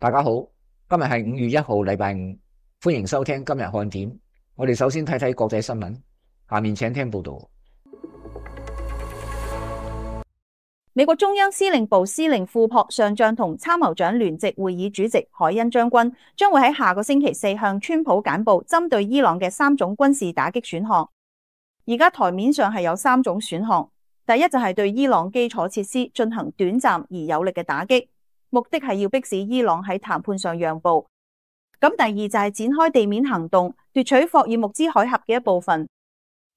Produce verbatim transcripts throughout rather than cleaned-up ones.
大家好，今日係五月一號，禮拜五，歡迎收聽今日看點。我哋首先睇睇國際新聞，下面請聽報道。美國中央司令部司令庫珀上將同參謀長聯席會議主席海恩將軍將會喺下個星期四向川普簡報針對伊朗嘅三種軍事打擊選項。而家台面上係有三種選項，第一就係對伊朗基礎設施進行短暫而有力嘅打擊，目的係要迫使伊朗喺談判上讓步。咁第二就係展開地面行動，奪取霍爾木茲海峽嘅一部分。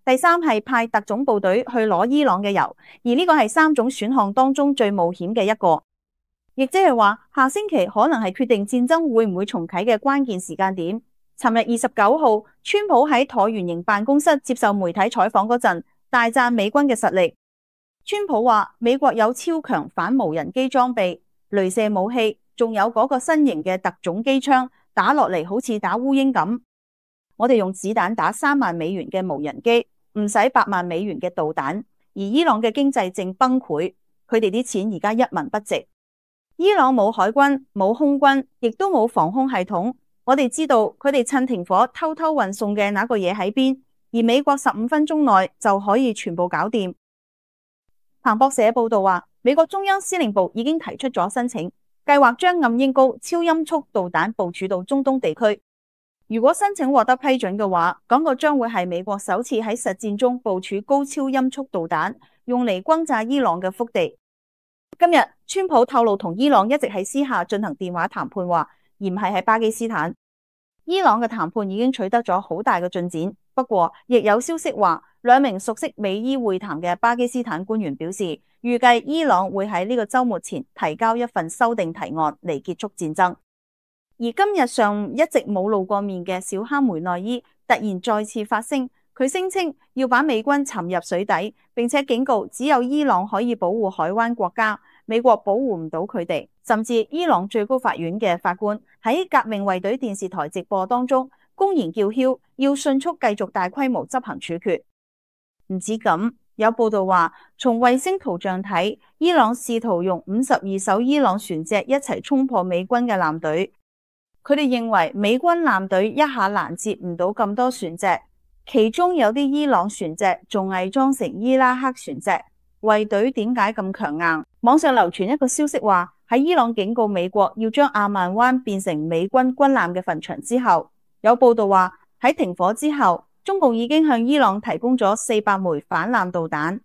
第三係派特種部隊去攞伊朗嘅油，而呢個係三種選項當中最冒險嘅一個，亦即係話下星期可能係決定戰爭會唔會重啟嘅關鍵時間點。尋日二十九號，川普喺橢圓形辦公室接受媒體採訪嗰陣，大讚美軍嘅實力。川普話美國有超強反無人機裝備、雷射武器，仲有嗰個新型嘅特種機槍，打落嚟好似打烏蠅咁。我哋用子彈打三萬美元嘅無人機，唔使八萬美元嘅導彈，而伊朗嘅經濟正崩潰，佢哋啲錢而家一文不值。伊朗冇海軍、冇空軍，亦都冇防空系統。我哋知道佢哋趁停火偷偷運送嘅那個嘢喺邊，而美國十五分鐘內就可以全部搞掂。彭博社報道話，美國中央司令部已經提出咗申請，計劃將暗鷹高超音速導彈部署到中東地區。如果申請獲得批准嘅話，嗰個將會係美國首次喺實戰中部署高超音速導彈，用嚟轟炸伊朗嘅腹地。今日川普透露同伊朗一直喺私下進行電話談判話，而唔係喺巴基斯坦。伊朗嘅談判已經取得咗好大嘅進展，不過亦有消息話，兩名熟悉美伊會談嘅巴基斯坦官員表示，預計伊朗會喺呢個週末前提交一份修訂提案嚟結束戰爭。而今日上午一直冇露過面嘅小哈梅內伊突然再次發聲，佢聲稱要把美軍沉入水底，並且警告只有伊朗可以保護海灣國家，美國保護唔到佢哋。甚至伊朗最高法院嘅法官喺革命衛隊電視台直播當中公然叫囂，要迅速繼續大規模執行處決。唔止咁，有報道話，從衛星圖像睇，伊朗試圖用五十二艘伊朗船隻一齊衝破美軍嘅艦隊。佢哋認為美軍艦隊一下攔截唔到咁多船隻，其中有啲伊朗船隻仲偽裝成伊拉克船隻。衛隊點解咁強硬？網上流傳一個消息話，喺伊朗警告美國要將阿曼灣變成美軍軍艦嘅墳場之後，有報道話喺停火之後，中共已經向伊朗提供咗四百枚反艦導彈。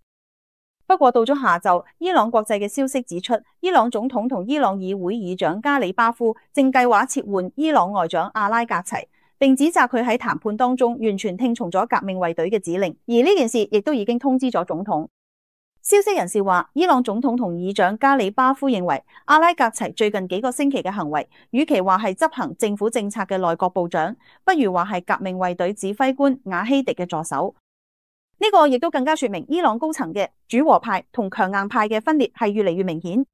不過到咗下晝，伊朗國際嘅消息指出，伊朗總統同伊朗議會議長加里巴夫正計劃撤換伊朗外長阿拉格齊，並指責佢喺談判當中完全聽從咗革命衛隊嘅指令，而呢件事亦都已經通知咗總統。消息人士話，伊朗總統同議長加里巴夫認為阿拉格齊最近幾個星期嘅行為，與其話係執行政府政策嘅內閣部長，不如話係革命衛隊指揮官瓦希迪嘅助手。呢個亦都更加說明伊朗高層嘅主和派同強硬派嘅分裂係越嚟越明顯。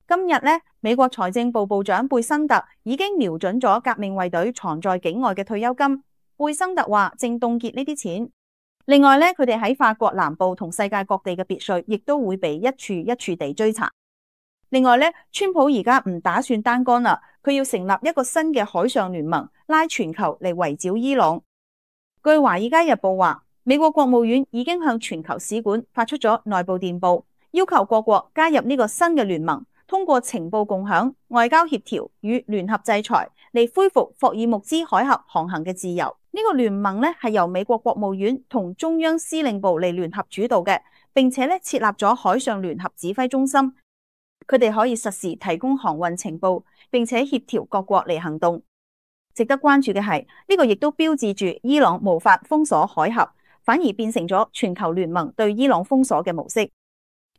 今日呢，美國財政部部長貝辛特已經瞄準咗革命衛隊藏在境外嘅退休金。貝辛特話正凍結呢啲錢。另外呢，佢哋喺法國南部同世界各地嘅別墅亦都會被一處一處地追查。另外呢，川普而家唔打算單幹啦，佢要成立一個新嘅海上聯盟，拉全球嚟圍剿伊朗。據華爾街日報話，美國國務院已經向全球使館發出咗內部電報，要求各國加入呢個新嘅聯盟，通過情報共享、外交協調與聯合制裁嚟恢復霍爾木茲海峽航行嘅自由。呢個聯盟咧係由美國國務院同中央司令部嚟聯合主導嘅，並且咧設立咗海上聯合指揮中心，佢哋可以實時提供航運情報，並且協調各國嚟行動。值得關注嘅係，呢個亦都標誌住伊朗無法封鎖海峽，反而變成咗全球聯盟對伊朗封鎖嘅模式，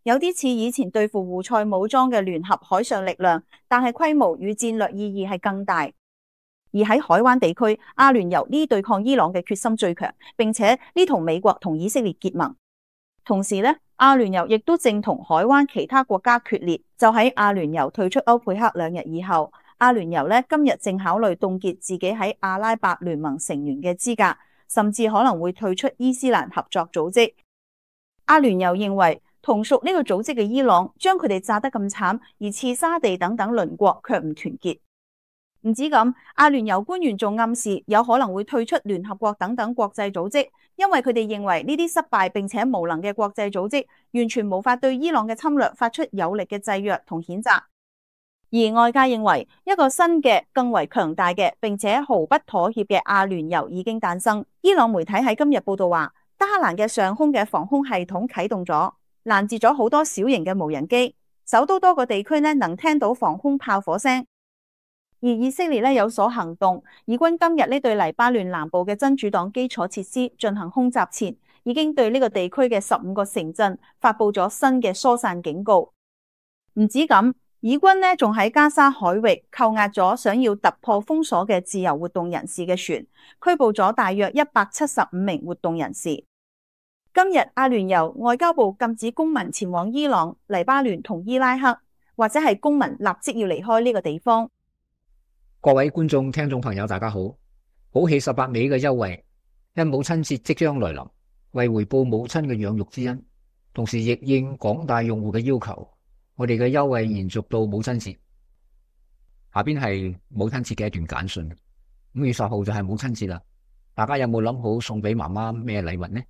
有啲似以前對付胡塞武裝嘅聯合海上力量，但係規模與戰略意義係更大。而喺海灣地區，阿聯酋呢對抗伊朗嘅決心最強，並且呢同美國同以色列結盟。同時呢，阿聯酋亦都正同海灣其他國家決裂。就喺阿聯酋退出歐佩克兩日以後，阿聯酋呢今日正考慮凍結自己喺阿拉伯聯盟成員嘅資格，甚至可能會退出伊斯蘭合作組織。阿聯酋認為同屬呢個組織嘅伊朗將佢哋炸得咁慘，而刺沙地等等鄰國卻唔團結。唔止咁，阿聯酋官員仲暗示有可能會退出聯合國等等國際組織，因為佢哋認為呢啲失敗並且無能嘅國際組織完全無法對伊朗嘅侵略發出有力嘅制約同譴責。而外界認為一個新嘅更為強大嘅並且毫不妥協嘅阿聯酋已經誕生。伊朗媒體喺今日報道話，德黑蘭嘅上空嘅防空系統啟動咗，攔截咗好多小型嘅無人機，首都多個地區呢能聽到防空炮火聲。而以色列呢有所行動，以軍今日呢對黎巴嫩南部嘅真主黨基礎設施進行空襲前，已經對呢個地區嘅十五個城鎮發佈咗新嘅疏散警告。唔止咁，以軍呢仲喺加沙海域扣押咗想要突破封鎖嘅自由活動人士嘅船，拘捕咗大約一百七十五名活動人士。今日阿聯酋外交部禁止公民前往伊朗、黎巴嫩同伊拉克，或者係公民立即要離開呢個地方。各位觀眾、聽眾朋友，大家好！寶氣十八尾嘅優惠，因母親節即將來臨，為回報母親嘅養育之恩，同時亦應廣大用戶嘅要求，我哋嘅優惠延續到母親節。下邊係母親節嘅一段簡訊。五月十號就係母親節啦，大家有冇諗好送俾媽媽咩禮物呢？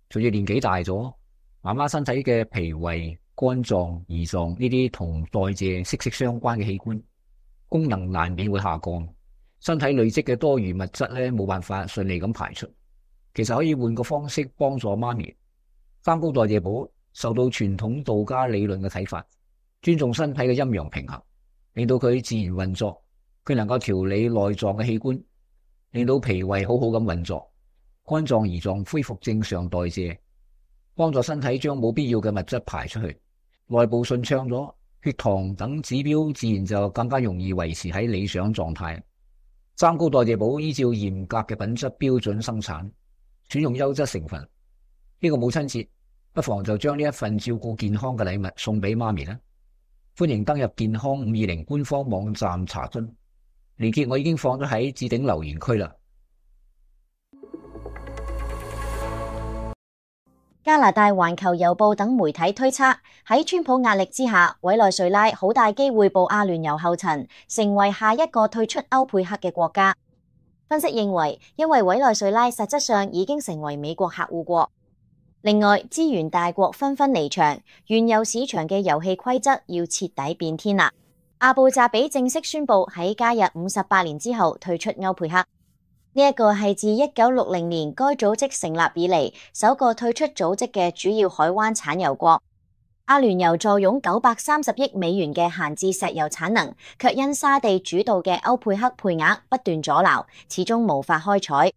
隨住年紀大咗，媽媽身體嘅脾胃、肝臟、胰臟呢啲同代謝息息相關嘅器官，功能難免會下降，身體累積嘅多餘物質咧冇辦法順利咁排出。其實可以換個方式幫助媽咪。三高代謝寶受到傳統道家理論嘅啟發，尊重身體嘅陰陽平衡，令到佢自然運作。佢能夠調理內臟嘅器官，令到脾胃好好咁運作，肝臟胰臟恢復正常代謝，幫助身體將冇必要嘅物質排出去，內部順暢咗，血糖等指標自然就更加容易維持喺理想狀態。三高代謝寶依照嚴格嘅品質標準生產，選用優質成分。呢個母親節不妨就將呢一份照顧健康嘅禮物送俾媽咪啦。歡迎登入健康五二零官方網站查詢，連結我已經放咗喺置頂留言區啦。加拿大環球郵報等媒體推測，喺川普壓力之下，委內瑞拉好大機會步阿聯酋後塵，成為下一個退出歐佩克嘅國家。分析認為，因為委內瑞拉實質上已經成為美國客戶國。另外，資源大國紛紛離場，原有市場嘅遊戲規則要徹底變天啦。阿布扎比正式宣布喺加入五十八年之後退出歐佩克。呢一個係自一九六零年該組織成立以嚟首個退出組織嘅主要海灣產油國。阿聯酋坐擁九百三十億美元嘅閒置石油產能，卻因沙地主導嘅歐佩克配額不斷阻撓，始終無法開採。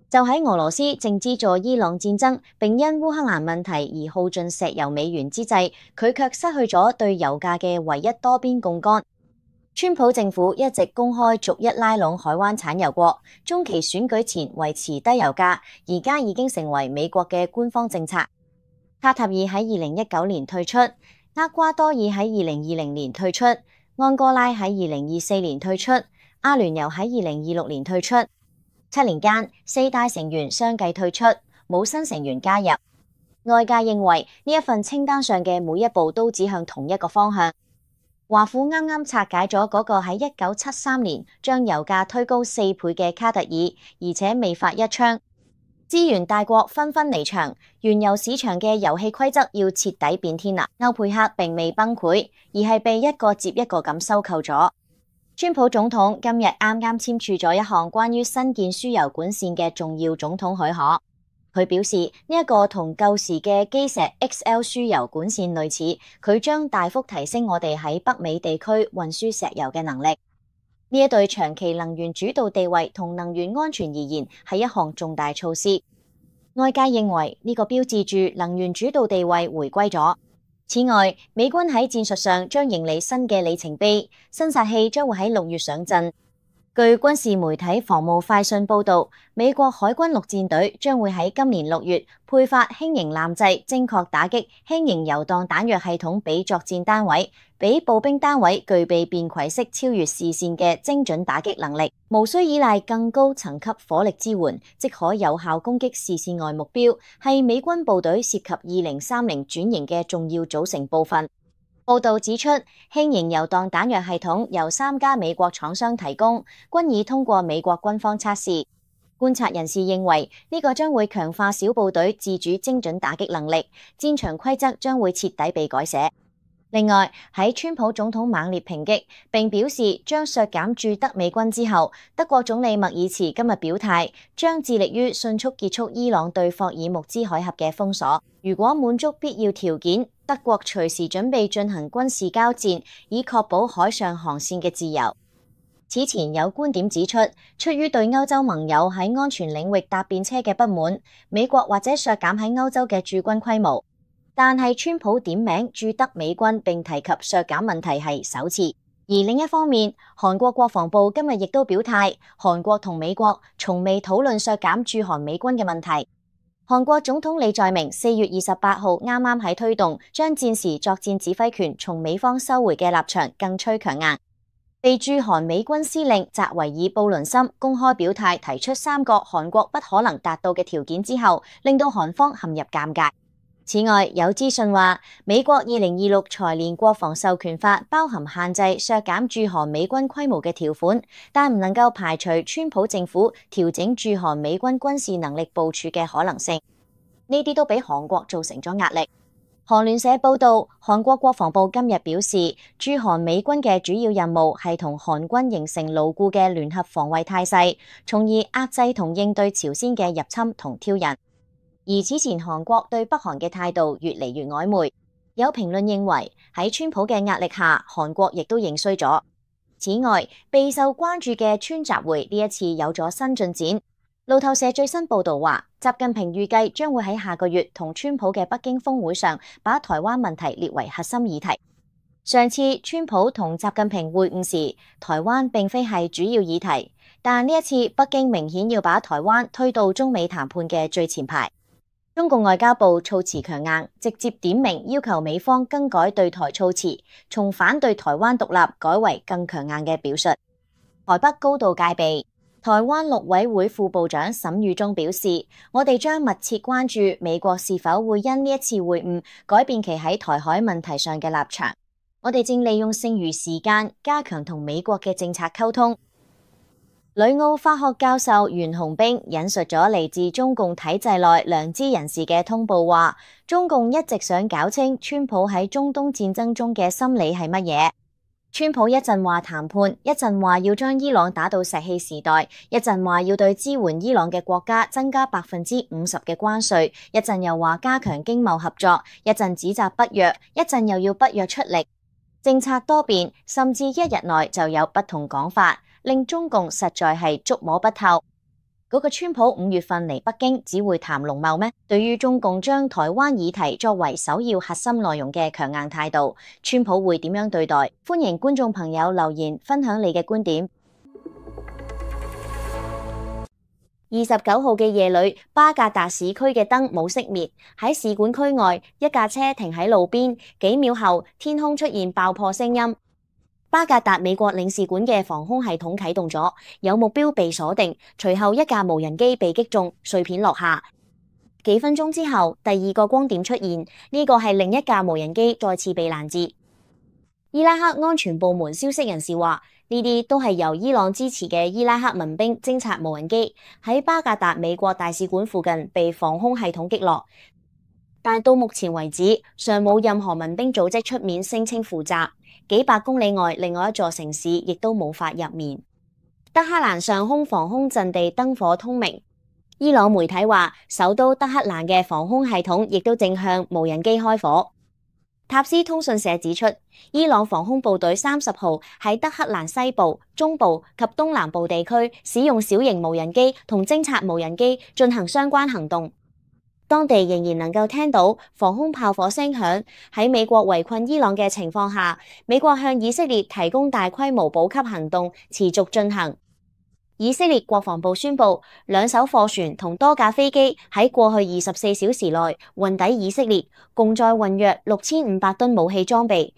就喺俄羅斯正資助伊朗戰爭，並因烏克蘭問題而耗盡石油美元之際，佢卻失去咗對油價嘅唯一多邊槓桿。川普政府一直公開逐一拉攏海灣產油國，中期選舉前維持低油價，而家已經成為美國嘅官方政策。卡塔爾喺二零一九年退出，厄瓜多爾喺二零二零年退出，安哥拉喺二零二四年退出，阿聯酋喺二零二六年退出。七年間，四大成員相繼退出，冇新成員加入。外界認為呢一份清單上嘅每一步都指向同一個方向。華府啱啱拆解咗嗰個喺一九七三年將油價推高四倍嘅卡特爾，而且未發一槍。資源大國紛紛離場，原油市場嘅遊戲規則要徹底變天啦。歐佩克並未崩潰，而係被一個接一個咁收購咗。川普總統今日啱啱簽署咗一項關於新建輸油管線嘅重要總統許可。佢表示呢一個同舊時嘅基石 X L 輸油管線類似，佢將大幅提升我哋喺北美地區運輸石油嘅能力。呢一對長期能源主導地位同能源安全而言係一項重大措施。外界認為呢個標誌住能源主導地位回歸咗。此外，美軍喺戰術上將迎嚟新嘅里程碑，新殺器將會喺六月上陣。據軍事媒體防務快訊報道，美國海軍陸戰隊將會喺今年六月配發輕型艦製精確打擊輕型油彈彈藥系統俾作戰單位，俾步兵單位具備便攜式超越視線嘅精準打擊能力，無需依賴更高層級火力支援，即可有效攻擊視線外目標，係美軍部隊涉及二零三零轉型嘅重要組成部分。報道指出，輕型游蕩彈藥系統由三家美國廠商提供，均已通過美國軍方測試。觀察人士認為，呢個將會強化小部隊自主精準打擊能力，戰場規則將會徹底被改寫。另外，喺川普總統猛烈抨擊並表示將削減駐德美軍之後，德國總理默爾茨今日表態，將致力於迅速結束伊朗對霍爾木茲海峽嘅封鎖。如果滿足必要條件，德國隨時準備進行軍事交戰，以確保海上航線嘅自由。此前有觀點指出，出於對歐洲盟友喺安全領域搭便車嘅不滿，美國或者削減喺歐洲嘅駐軍規模。但係川普點名駐德美軍並提及削減問題係首次。而另一方面，韓國國防部今日亦都表態，韓國同美國從未討論削減駐韓美軍嘅問題。韓國總統李在明四月二十八號啱啱喺推動將戰時作戰指揮權從美方收回嘅立場更趨強硬。被駐韓美軍司令澤維爾布倫森公開表態，提出三個韓國不可能達到嘅條件之後，令到韓方陷入尷尬。此外，有資訊話，美國二零二六財年國防授權法包含限制削減駐韓美軍規模嘅條款，但唔能夠排除川普政府調整駐韓美軍軍事能力部署嘅可能性。呢啲都俾韓國造成咗壓力。韓聯社報道，韓國國防部今日表示，駐韓美軍嘅主要任務係同韓軍形成牢固嘅聯合防衛態勢，從而壓制同應對朝鮮嘅入侵同挑釁。而此前韓國對北韓嘅態度越嚟越曖昧，有評論認為喺川普嘅壓力下，韓國亦都認衰咗。此外，備受關注嘅川習會呢一次有咗新進展。路透社最新報導話，習近平預計將會喺下個月同川普嘅北京峰會上，把台灣問題列為核心議題。上次川普同習近平會晤時，台灣並非係主要議題，但呢一次北京明顯要把台灣推到中美談判嘅最前排。中共外交部措辭強硬，直接點名要求美方更改對台措辭，從反對台灣獨立改為更強硬嘅表述。台北高度戒備。台灣陸委會副部長沈宇中表示，我哋將密切關注美國是否會因呢一次會晤改變其喺台海問題上嘅立場。我哋正利用剩餘時間加強同美國嘅政策溝通。旅澳法學教授袁洪兵引述咗嚟自中共體制內良知人士嘅通報話，中共一直想搞清川普喺中東戰爭中嘅心理係乜嘢。川普一陣話談判，一陣話要將伊朗打到石器時代，一陣話要對支援伊朗嘅國家增加百分之五十嘅關稅，一陣又話加強經貿合作，一陣指責北約，一陣又要北約出力，政策多變，甚至一日內就有不同講法，令中共實在係捉摸不透。嗰個川普五月份嚟北京只會談農貿咩？對於中共將台灣議題作為首要核心內容嘅強硬態度，川普會點樣對待？歡迎觀眾朋友留言分享你嘅觀點。二十九號嘅夜裏，巴格達市區嘅燈冇熄滅，喺使館區外，一架車停喺路邊，幾秒後，天空出現爆破聲音。巴格達美國領事館嘅防空系統啟動咗，有目標被鎖定，隨後一架無人機被擊中，碎片落下。幾分鐘之後，第二個光點出現，呢個係另一架無人機再次被攔截。伊拉克安全部門消息人士話，呢啲都係由伊朗支持嘅伊拉克民兵偵察無人機喺巴格達美國大使館附近被防空系統擊落，但到目前為止，尚冇任何民兵組織出面聲稱負責。幾百公里外，另外一座城市亦都冇法入面。德黑蘭上空防空陣地燈火通明。伊朗媒體話，首都德黑蘭嘅防空系統亦都正向無人機開火。塔斯通訊社指出，伊朗防空部隊三十號喺德黑蘭西部、中部及東南部地區使用小型無人機同偵察無人機進行相關行動。當地仍然能夠聽到防空炮火聲響。喺美國圍困伊朗嘅情況下，美國向以色列提供大規模補給行動持續進行。以色列國防部宣布，兩艘貨船同多架飛機喺過去二十四小時內運抵以色列，共載運約六千五百噸武器裝備。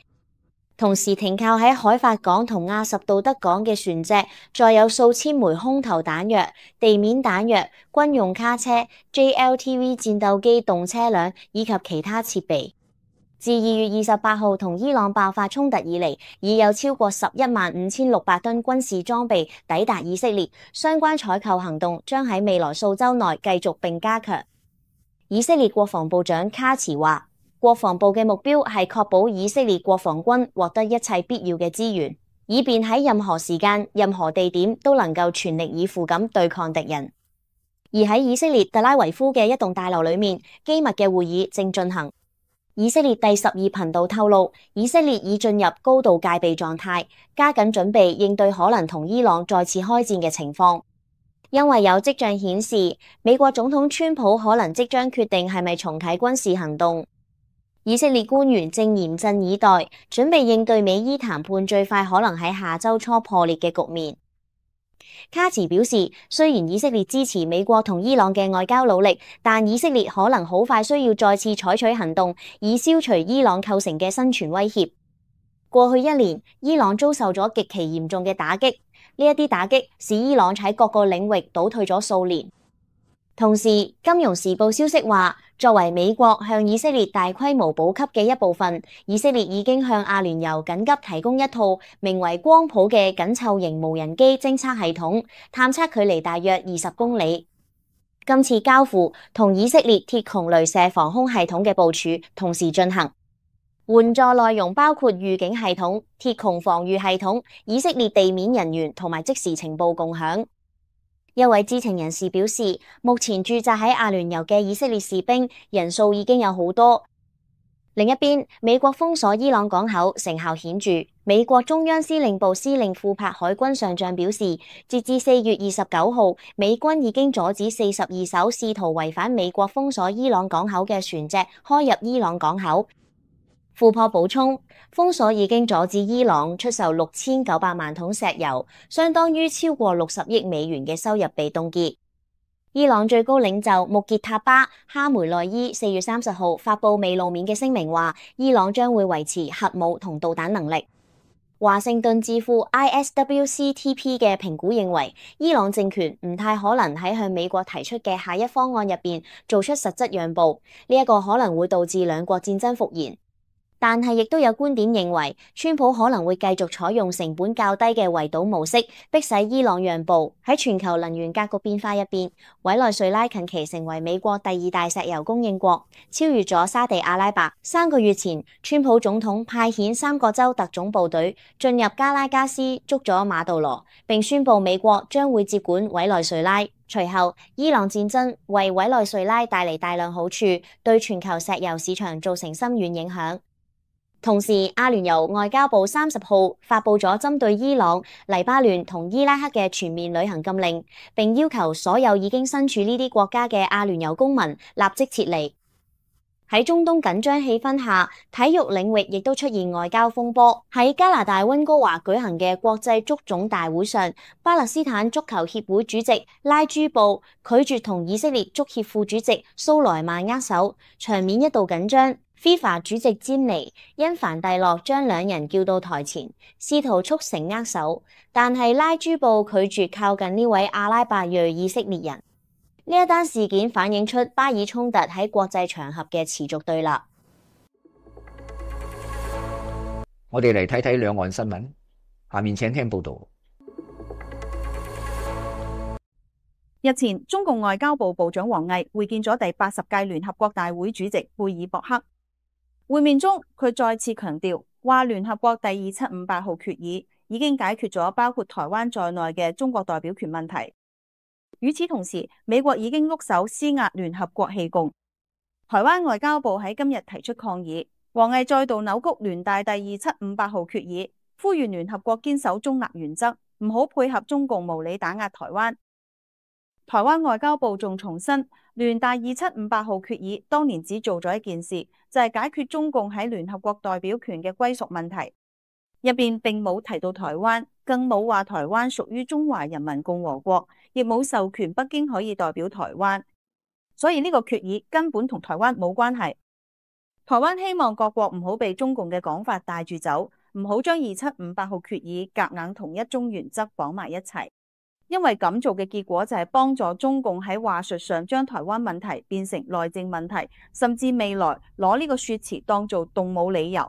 同時停靠喺海法港同亞什杜德港嘅船隻，載有數千枚空投彈藥、地面彈藥、軍用卡車、J L T V 戰鬥機動車輛以及其他設備。自二月二十八號同伊朗爆發衝突以嚟，已有超過十一萬五千六百噸軍事裝備抵達以色列，相關採購行動將喺未來數週內繼續並加強。以色列國防部長卡茨話，國防部嘅目標係確保以色列國防軍獲得一切必要嘅資源，以便喺任何時間、任何地點都能夠全力以赴咁對抗敵人。而喺以色列特拉維夫嘅一棟大樓裏面，機密嘅會議正進行。以色列第十二頻道透露，以色列已進入高度戒備狀態，加緊準備應對可能同伊朗再次開戰嘅情況。因為有跡象顯示，美國總統川普可能即將決定係咪重啟軍事行動。以色列官員正嚴陣以待，準備應對美伊談判最快可能喺下周初破裂嘅局面。卡茨表示，雖然以色列支持美國同伊朗嘅外交努力，但以色列可能好快需要再次採取行動，以消除伊朗構成嘅生存威脅。過去一年，伊朗遭受咗極其嚴重嘅打擊，呢一啲打擊使伊朗喺各個領域倒退咗數年。同時，《金融時報》消息話，作為美國向以色列大規模補給嘅一部分，以色列已經向阿聯酋緊急提供一套名為光譜嘅緊湊型無人機偵測系統，探測距離大約二十公里。今次交付同以色列鐵穹雷射防空系統嘅部署同時進行，援助內容包括預警系統、鐵穹防禦系統、以色列地面人員同埋即時情報共享。一位知情人士表示，目前駐紮喺阿聯酋嘅以色列士兵人數已經有好多。另一邊，美國封鎖伊朗港口成效顯著。美國中央司令部司令庫柏海軍上將表示，截至四月二十九號，美軍已經阻止四十二艘試圖違反美國封鎖伊朗港口嘅船隻開入伊朗港口。庫珀補充，封鎖已經阻止伊朗出售六千九百萬桶石油，相當於超過六十億美元嘅收入被凍結。伊朗最高領袖穆傑塔巴哈梅內伊四月三十號發布未露面嘅聲明話，伊朗將會維持核武同導彈能力。華盛頓智庫 I S W C T P 嘅評估認為，伊朗政權唔太可能喺向美國提出嘅下一方案入邊做出實質讓步，呢、這、一個可能會導致兩國戰爭復燃。但係亦都有觀點認為，川普可能會繼續採用成本較低嘅圍堵模式，迫使伊朗讓步。喺全球能源格局變化入邊，委內瑞拉近期成為美國第二大石油供應國，超越咗沙地阿拉伯。三個月前，川普總統派遣三個州特種部隊進入加拉加斯捉咗馬杜羅，並宣布美國將會接管委內瑞拉。隨後，伊朗戰爭為委內瑞拉帶嚟大量好處，對全球石油市場造成深遠影響。同時，阿聯酋外交部三十號發布咗針對伊朗、黎巴嫩同伊拉克嘅全面旅行禁令，並要求所有已經身處呢啲國家嘅阿聯酋公民立即撤離。喺中東緊張氣氛下，體育領域亦都出現外交風波。喺加拿大溫哥華舉行嘅國際足總大會上，巴勒斯坦足球協會主席拉朱布拒絕同以色列足協副主席蘇萊曼握手，場面一度緊張。FIFA 主席詹尼因凡蒂諾將兩人叫到台前，試圖促成握手，但係拉朱布拒絕靠近呢位阿拉伯裔以色列人。呢一單事件反映出巴以衝突喺國際場合嘅持續對立。我哋嚟睇睇兩岸新聞，下面請聽報道。日前，中共外交部部長王毅會見咗第八十屆聯合國大會主席貝爾博克。會面中，佢再次強調，話聯合國第二七五八號決議已經解決咗包括台灣在內嘅中國代表權問題。與此同時，美國已經喐手施壓聯合國棄共。台灣外交部喺今日提出抗議，王毅再度扭曲聯大第二七五八號決議，呼籲聯合國堅守中立原則，唔好配合中共無理打壓台灣。台灣外交部仲重申，聯大二七五八號決議當年只做咗一件事，就係解決中共喺聯合國代表權嘅歸屬問題，入邊並冇提到台灣，更冇話台灣屬於中華人民共和國，亦冇授權北京可以代表台灣，所以呢個決議根本同台灣冇關係。台灣希望各國唔好被中共嘅講法帶住走，唔好將二七五八號決議夾硬同一中原則綁埋一齊。因為咁做嘅結果就係幫助中共喺話術上將台灣問題變成內政問題，甚至未來攞呢個說辭當做動武理由。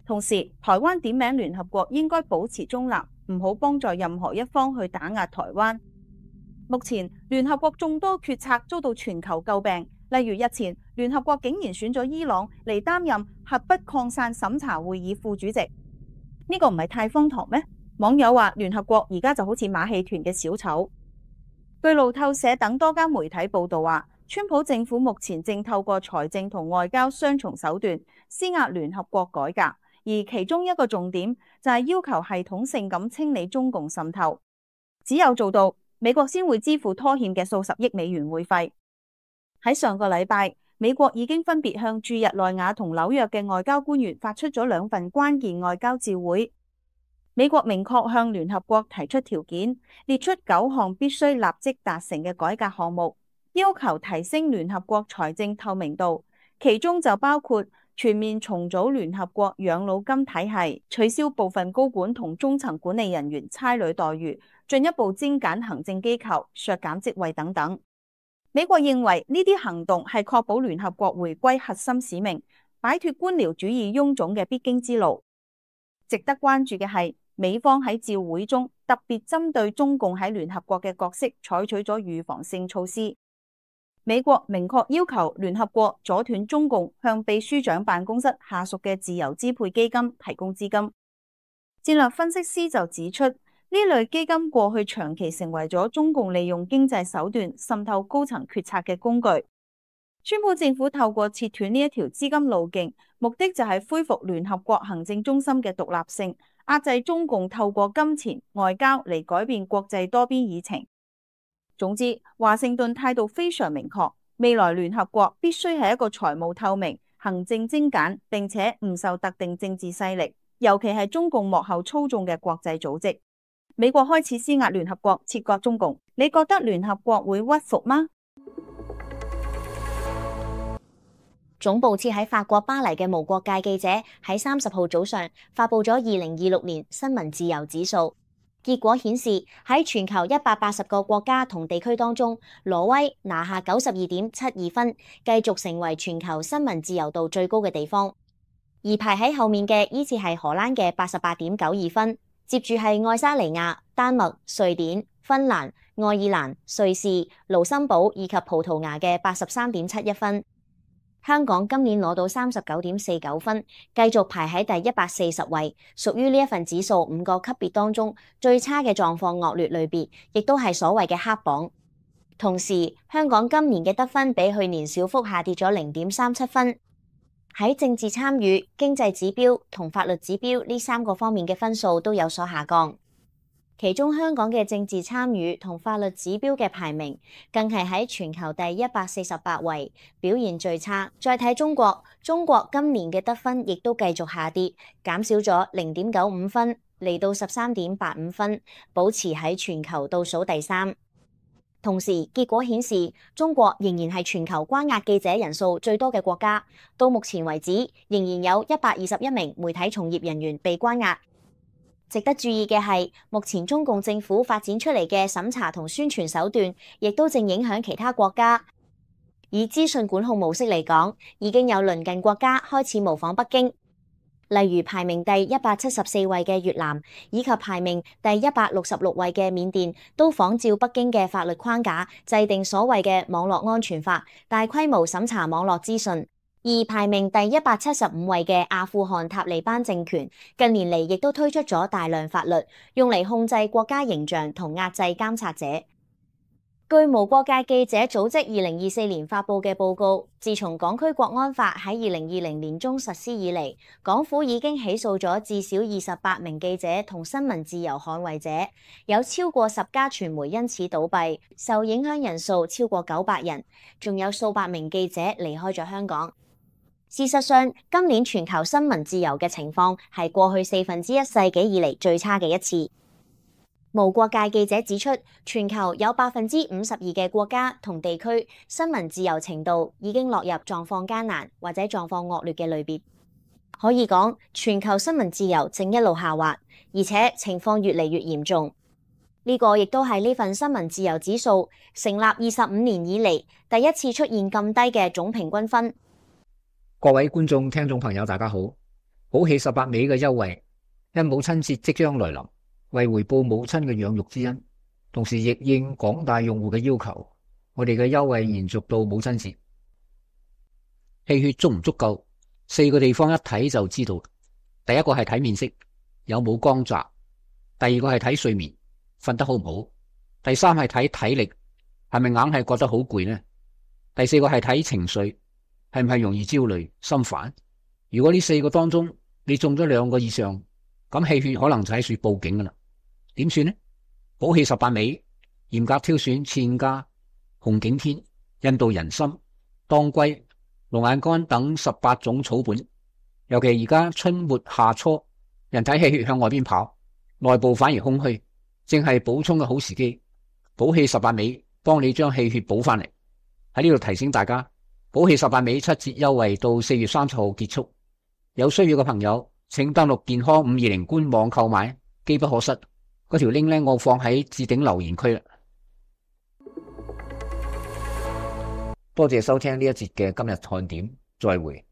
同時，台灣點名聯合國應該保持中立，唔好幫助任何一方去打壓台灣。目前聯合國眾多決策遭到全球詬病，例如日前聯合國竟然選咗伊朗嚟擔任核不擴散審查會議副主席，呢個唔係太荒唐咩？網友話聯合國而家就好似馬戲團嘅小丑。據路透社等多間媒體報道話，川普政府目前正透過財政同外交雙重手段施壓聯合國改革，而其中一個重點就係要求系統性咁清理中共滲透。只有做到，美國先會支付拖欠嘅數十億美元會費。喺上個禮拜，美國已經分別向駐日內瓦同紐約嘅外交官員發出咗兩份關鍵外交照會。美國明確向聯合國提出條件，列出九項必須立即達成嘅改革項目，要求提升聯合國財政透明度，其中就包括全面重組聯合國養老金體系，取消部分高管同中層管理人員差旅待遇，進一步精簡行政機構，削減職位等等。美國認為呢啲行動係確保聯合國回歸核心使命，擺脫官僚主義臃腫嘅必經之路。值得關注嘅係，美方喺照會中特別針對中共喺聯合國嘅角色採取咗預防性措施。美國明確要求聯合國阻斷中共向秘書長辦公室下屬嘅自由支配基金提供資金。戰略分析師就指出，呢類基金過去長期成為咗中共利用經濟手段滲透高層決策嘅工具。川普政府透過切斷呢一條資金路徑，目的就係恢復聯合國行政中心嘅獨立性，壓制中共透過金錢外交嚟改變國際多邊議程。總之，華盛頓態度非常明確，未來聯合國必須係一個財務透明、行政精簡，並且唔受特定政治勢力，尤其係中共幕後操縱嘅國際組織。美國開始施壓聯合國切割中共，你覺得聯合國會屈服嗎？總部設喺法國巴黎嘅無國界記者喺三十號早上發佈咗二零二六年新聞自由指數，結果顯示喺全球一百八十個國家同地區當中，挪威拿下九十二點七二分，繼續成為全球新聞自由度最高嘅地方。而排喺後面嘅依次係荷蘭嘅八十八點九二分，接住係愛沙尼亞、丹麥、瑞典、芬蘭、愛爾蘭、瑞士、盧森堡以及葡萄牙嘅八十三點七一分。香港今年攞到三十九點四九分，繼續排喺第一百四十位，屬於呢一份指數五個級別當中最差嘅狀況惡劣類別，亦都係所謂嘅黑榜。同時，香港今年嘅得分比去年小幅下跌咗零點三七分。喺政治參與、經濟指標同法律指標呢三個方面嘅分數都有所下降。其中香港嘅政治參與同法律指標嘅排名，更係喺全球第一百四十八位，表現最差。再睇中國，中國今年嘅得分亦都繼續下跌，減少咗零點九五分，嚟到十三點八五分，保持喺全球倒數第三。同時，結果顯示中國仍然係全球關押記者人數最多嘅國家，到目前為止仍然有一百二十一名媒體從業人員被關押。值得注意嘅係，目前中共政府發展出嚟嘅審查同宣傳手段，亦都正影響其他國家。以資訊管控模式嚟講，已經有鄰近國家開始模仿北京，例如排名第一百七十四位嘅越南，以及排名第一百六十六位嘅緬甸，都仿照北京嘅法律框架，制定所謂嘅網絡安全法，大規模審查網絡資訊。而排名第一百七十五位嘅阿富汗塔利班政權，近年嚟亦都推出咗大量法律，用嚟控制國家形象同壓制監察者。據無國界記者組織二零二四年發佈嘅報告，自從港區國安法喺二零二零年中實施以嚟，港府已經起訴咗至少二十八名記者同新聞自由捍衛者，有超過十家傳媒因此倒閉，受影響人數超過九百人，仲有數百名記者離開咗香港。事實上，今年全球新聞自由嘅情況係過去四分之一世紀以嚟最差嘅一次。無國界記者指出，全球有百分之五十二嘅國家同地區新聞自由程度已經落入狀況艱難或者狀況惡劣嘅類別。可以講，全球新聞自由正一路下滑，而且情況越嚟越嚴重。呢個亦都係呢份新聞自由指數成立二十五年以嚟第一次出現咁低嘅總平均分。各位觀眾、聽眾朋友，大家好！寶氣十八尾嘅優惠，因母親節即將來臨，為回報母親嘅養育之恩，同時亦應廣大用戶嘅要求，我哋嘅優惠延續到母親節。氣血足唔足夠？四個地方一睇就知道。第一個係睇面色，有冇光澤；第二個係睇睡眠，瞓得好唔好；第三係睇體力，係咪硬係覺得好攰呢？第四個係睇情緒，係唔係容易焦慮、心煩？如果呢四個當中你中咗兩個以上，咁氣血可能就喺處報警噶啦。點算呢？寶氣十八味嚴格挑選茜家、紅景天、印度人參、當歸、龍眼乾等十八種草本，尤其而家春末夏初，人體氣血向外邊跑，內部反而空虛，正係補充嘅好時機。寶氣十八味幫你將氣血補翻嚟。喺呢度提醒大家，寶氣十八味七折優惠到四月三十號結束，有需要嘅朋友請登錄健康五二零官網購買，機不可失。嗰條 link 咧，我放喺置頂留言區啦。多謝收聽呢一節嘅今日看點，再會。